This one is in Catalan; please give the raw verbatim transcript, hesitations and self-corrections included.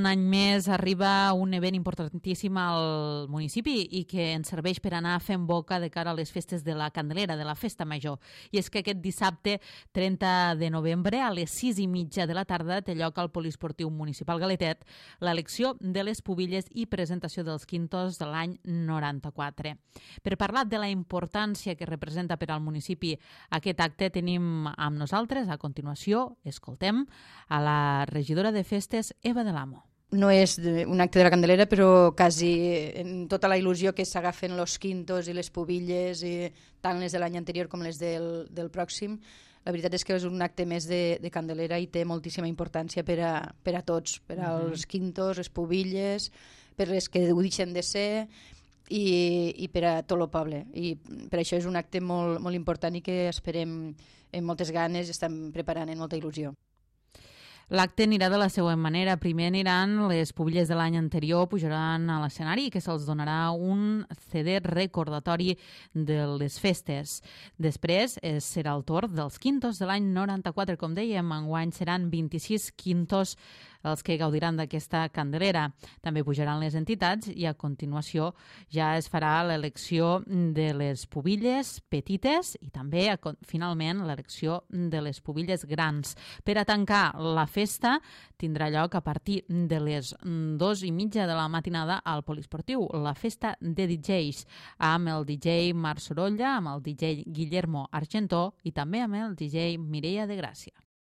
any més arriba un event importantíssim al municipi i que ens serveix per anar fent boca de cara a les festes de la Candelera, de la Festa Major. I és que aquest dissabte trenta de novembre a les sis i mitja de la tarda té lloc al Poliesportiu Municipal Galetet l'elecció de les pubilles i presentació dels quintos de l'any noranta-quatre. Per parlar de la importància que representa per al municipi aquest acte tenim amb nosaltres, a continuació, escoltem a la regidora de festes, Eva de l'Amo. No és un acte de la Candelera, però quasi en tota la il·lusió que s'agafen los quintos i les pubilles, i tant les de l'any anterior com les del, del pròxim, la veritat és que és un acte més de, de Candelera i té moltíssima importància per a, per a tots, per als mm-hmm. quintos, les pubilles, per les que ho deixen de ser, i, i per a tot el poble. I per això és un acte molt, molt important i que esperem amb moltes ganes i estem preparant amb molta il·lusió. L'acte anirà de la següent manera. Primer aniran les pubilles de l'any anterior, pujaran a l'escenari i que se'ls donarà un C D recordatori de les festes. Després eh, serà el torn dels quintos de l'any noranta-quatre. Com dèiem, enguany seran vint-i-sis quintos els que gaudiran d'aquesta Candelera. També pujaran les entitats i a continuació ja es farà l'elecció de les pubilles petites i també finalment l'elecció de les pubilles grans. Per a tancar la festa tindrà lloc a partir de les dos i mitja de la matinada al Poliesportiu, la festa de D Js, amb el D J Marc Sorolla, amb el D J Guillermo Argentó i també amb el D J Mireia de Gràcia.